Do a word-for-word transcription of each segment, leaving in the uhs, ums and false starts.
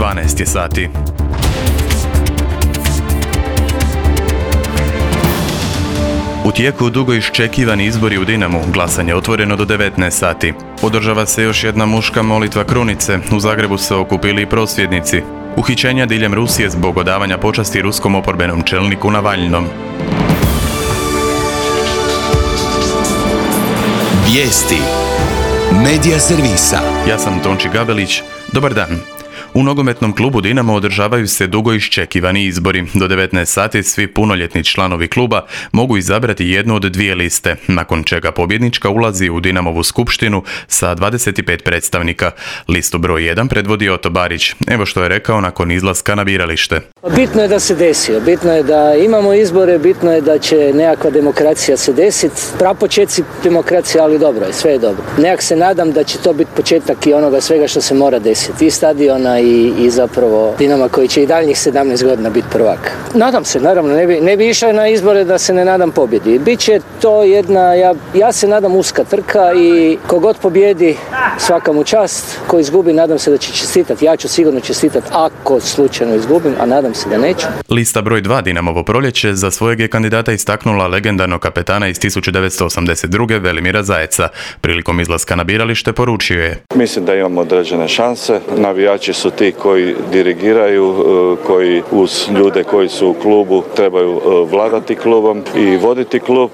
dvanaest je sati. U tijeku dugo iščekivani izbori u Dinamu, glasanje je otvoreno do devetnaest sati. Održava se još jedna muška molitva krunice, u Zagrebu se okupili i prosvjednici. Uhićenja diljem Rusije zbog odavanja počasti ruskom oporbenom čelniku Navalnom. Vijesti Medija servisa. Ja sam Tonči Gabelić. Dobar dan. U nogometnom klubu Dinamo održavaju se dugo iščekivani izbori. Do devetnaest sati svi punoljetni članovi kluba mogu izabrati jednu od dvije liste, nakon čega pobjednička ulazi u Dinamovu skupštinu sa dvadeset pet predstavnika. Listu broj jedan predvodi Oto Barić. Evo što je rekao nakon izlaska na biralište. Bitno je da se desio, bitno je da imamo izbore, bitno je da će nekakva demokracija se desiti. Prapočeci demokracije, ali dobro je, sve je dobro. Nekak se nadam da će to biti početak i onoga svega što se mora desiti. I stadiona I, i zapravo Dinama koji će i daljnjih sedamnaest godina biti prvak. Nadam se, naravno, ne bi, ne bi išao na izbore da se ne nadam pobjedi. Biće to jedna, ja, ja se nadam uska trka i kogod pobjedi svaka mu čast, ko izgubi nadam se da će čestitati. Ja ću sigurno čestitati ako slučajno izgubim, a nadam se da neću. Lista broj dva Dinamovo proljeće za svojeg je kandidata istaknula legendarnog kapetana iz tisuću devetsto osamdeset druge Velimira Zajeca. Prilikom izlaska na biralište poručio je: Mislim da imamo određene šanse. Navijači su ti koji dirigiraju, koji uz ljude koji su u klubu trebaju vladati klubom i voditi klub.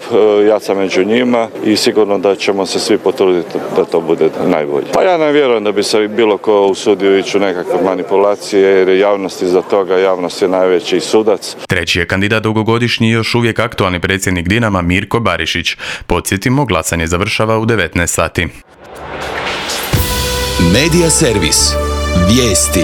Ja sam među njima i sigurno da ćemo se svi potruditi da to bude najbolje. Pa ja ne vjerujem da bi se bilo ko usudio ići u nekakve manipulacije, jer je javnost iza toga, javnost je najveći sudac. Treći je kandidat dugogodišnji i još uvijek aktualni predsjednik Dinama Mirko Barišić. Podsjetimo, glasanje završava u devetnaest sati. Medija servis. Vijesti.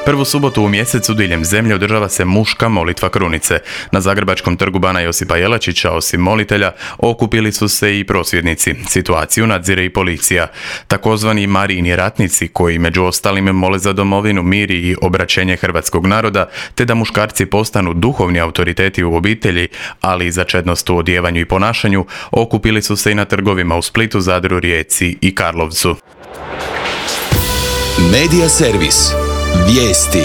Prvu subotu u mjesecu diljem zemlje održava se muška molitva krunice. Na zagrebačkom trgu Bana Josipa Jelačića, osim molitelja, okupili su se i prosvjednici. Situaciju nadzire i policija. Takozvani Marijini ratnici, koji među ostalim mole za domovinu, mir i obraćenje hrvatskog naroda, te da muškarci postanu duhovni autoriteti u obitelji, ali i za čednost u odjevanju i ponašanju, okupili su se i na trgovima u Splitu, Zadru, Rijeci i Karlovcu. Medija servis. Vijesti.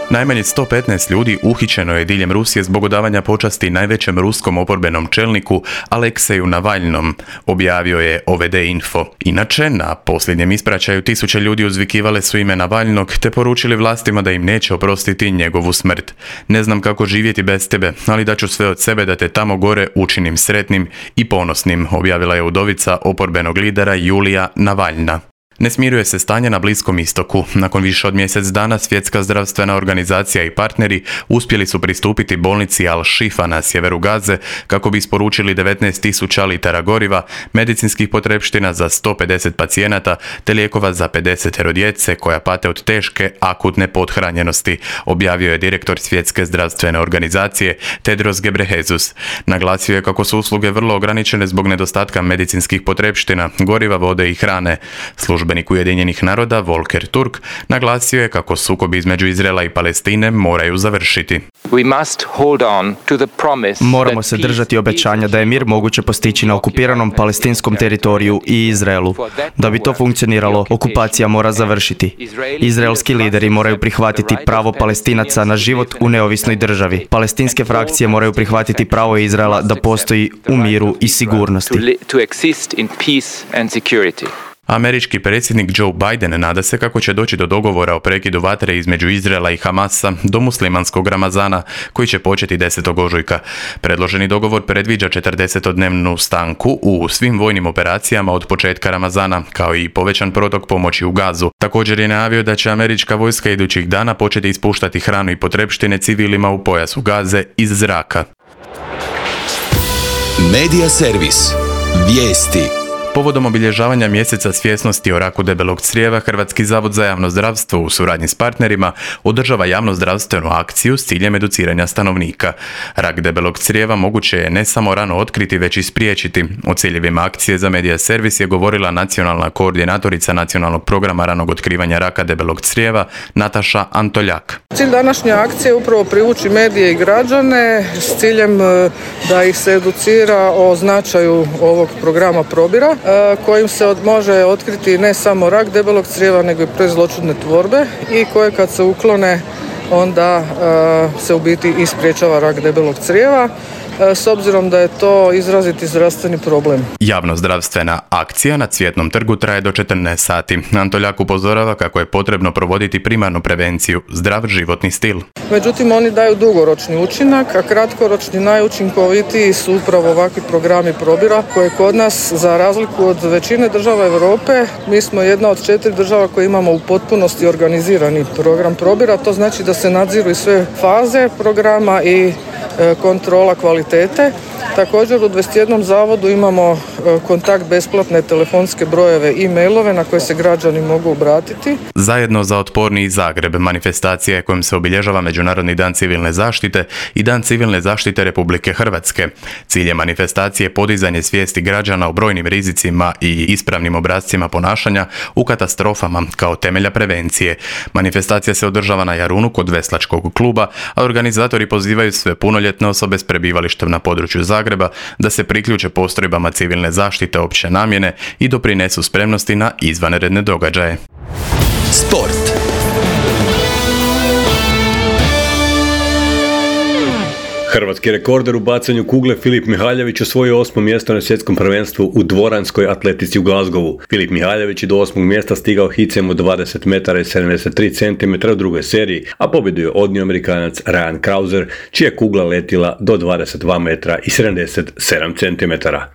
Najmanje sto petnaest ljudi uhićeno je diljem Rusije zbog odavanja počasti najvećem ruskom oporbenom čelniku Alekseju Navalnom, objavio je O V D Info. Inače, na posljednjem ispraćaju tisuće ljudi uzvikivale su ime Navalnog te poručili vlastima da im neće oprostiti njegovu smrt. Ne znam kako živjeti bez tebe, ali daću sve od sebe da te tamo gore učinim sretnim i ponosnim, objavila je udovica oporbenog lidera Julija Navalna. Ne smiruje se stanje na Bliskom istoku. Nakon više od mjesec dana Svjetska zdravstvena organizacija i partneri uspjeli su pristupiti bolnici Al-Shifa na sjeveru Gaze kako bi isporučili devetnaest tisuća litara goriva, medicinskih potrepština za sto pedeset pacijenata te lijekova za pedeset djece koja pate od teške akutne pothranjenosti, objavio je direktor Svjetske zdravstvene organizacije Tedros Ghebreyesus. Naglasio je kako su usluge vrlo ograničene zbog nedostatka medicinskih potrepština, goriva, vode i hrane. Službenik Ujedinjenih naroda Volker Turk naglasio je kako sukobi između Izraela i Palestine moraju završiti. Moramo se držati obećanja da je mir moguće postići na okupiranom palestinskom teritoriju i Izraelu. Da bi to funkcioniralo, okupacija mora završiti. Izraelski lideri moraju prihvatiti pravo Palestinaca na život u neovisnoj državi. Palestinske frakcije moraju prihvatiti pravo Izraela da postoji u miru i sigurnosti. Američki predsjednik Joe Biden nada se kako će doći do dogovora o prekidu vatre između Izraela i Hamasa do muslimanskog Ramazana, koji će početi desetog ožujka. Predloženi dogovor predviđa četrdesetodnevnu stanku u svim vojnim operacijama od početka Ramazana, kao i povećan protok pomoći u Gazu. Također je najavio da će američka vojska idućih dana početi ispuštati hranu i potrepštine civilima u pojasu Gaze iz zraka. Medija servis. Vijesti. Povodom obilježavanja mjeseca svjesnosti o raku debelog crijeva, Hrvatski zavod za javno zdravstvo u suradnji s partnerima održava javnozdravstvenu akciju s ciljem educiranja stanovnika. Rak debelog crijeva moguće je ne samo rano otkriti, već i spriječiti. O ciljevima akcije za Medija servis je govorila nacionalna koordinatorica nacionalnog programa ranog otkrivanja raka debelog crijeva Nataša Antoljak. Cilj današnje akcije je upravo privući medije i građane s ciljem da ih se educira o značaju ovog programa probira. kojim se od, može otkriti ne samo rak debelog crijeva, nego i prezloćudne tvorbe i koje kad se uklone onda se u biti i sprječava rak debelog crijeva, s obzirom da je to izraziti zdravstveni problem. Javnozdravstvena akcija na Cvjetnom trgu traje do četrnaest sati. Antoljak upozorava kako je potrebno provoditi primarnu prevenciju, zdrav životni stil. Međutim, oni daju dugoročni učinak, a kratkoročni najučinkovitiji su upravo ovakvi programi probira koje kod nas, za razliku od većine država Europe, mi smo jedna od četiri država koje imamo u potpunosti organizirani program probira. To znači da se nadziru i sve faze programa i kontrola kvalitete. Također u dvadeset jednom zavodu imamo kontakt besplatne telefonske brojeve i mailove na koje se građani mogu obratiti. Zajedno za otporniji Zagreb manifestacija je kojom se obilježava Međunarodni dan civilne zaštite i Dan civilne zaštite Republike Hrvatske. Cilj je manifestacije podizanje svijesti građana o brojnim rizicima i ispravnim obrascima ponašanja u katastrofama kao temelja prevencije. Manifestacija se održava na Jarunu kod Veslačkog kluba, a organizatori pozivaju sve punoljetne osobe s prebivalištem na području Zagreba da se priključe postrojbama civilne zaštite opće namjene i doprinesu spremnosti na izvanredne događaje. Sport. Hrvatski rekorder u bacanju kugle Filip Mihaljević osvojio osmo mjesto na svjetskom prvenstvu u dvoranskoj atletici u Glasgowu. Filip Mihaljević je do osmog mjesta stigao hicem od dvadeset metara i sedamdeset tri centimetra u drugoj seriji, a pobjedu je odnio Amerikanac Ryan Krauser, čija je kugla letila do dvadeset dva metra i sedamdeset sedam centimetara.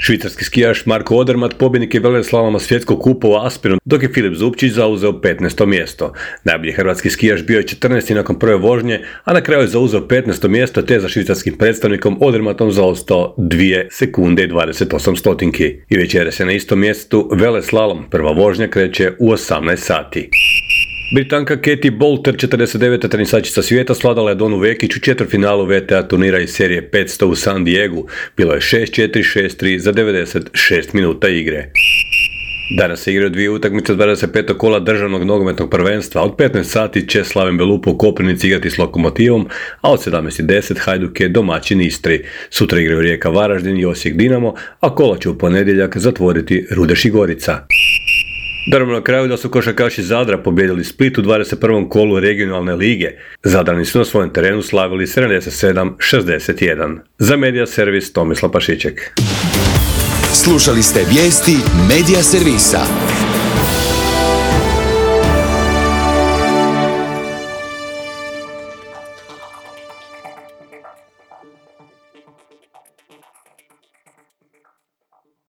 Švicarski skijaš Marko Odermatt pobjednik je veleslaloma svjetskog kupa u Aspenu, dok je Filip Zupčić zauzeo petnaesto mjesto. Najbolji hrvatski skijaš bio je četrnaesti nakon prve vožnje, a na kraju je zauzeo petnaesto mjesto te za švicarskim predstavnikom Odermattom zaostao dvije sekunde i dvadeset osam stotinki. I večeras je na istom mjestu veleslalom. Prva vožnja kreće u osamnaest sati. Britanka Katie Boulter, četrdeset deveta tenisačica svijeta, svladala je Donu Vekić u četvrtfinalu V T A turnira iz serije petsto u San Diegu. Bilo je šest četiri, šest tri za devedeset šest minuta igre. Danas se igraju dvije utakmice dvadeset petog kola državnog nogometnog prvenstva. Od petnaest sati će Slaven Belupo u Koprivnici igrati s Lokomotivom, a od sedamnaest deset Hajduk je domaćin Istri. Sutra igraju Rijeka Varaždin i Osijek Dinamo, a kola će u ponedjeljak zatvoriti Rudeš i Gorica. Dodamo na kraju da su košarkaši Zadra pobijedili Split u dvadeset prvom kolu regionalne lige. Zadrani su na svojem terenu slavili sedamdeset sedam šezdeset jedan. Za Medija Servis Tomislav Pašiček. Slušali ste vijesti Medija Servisa.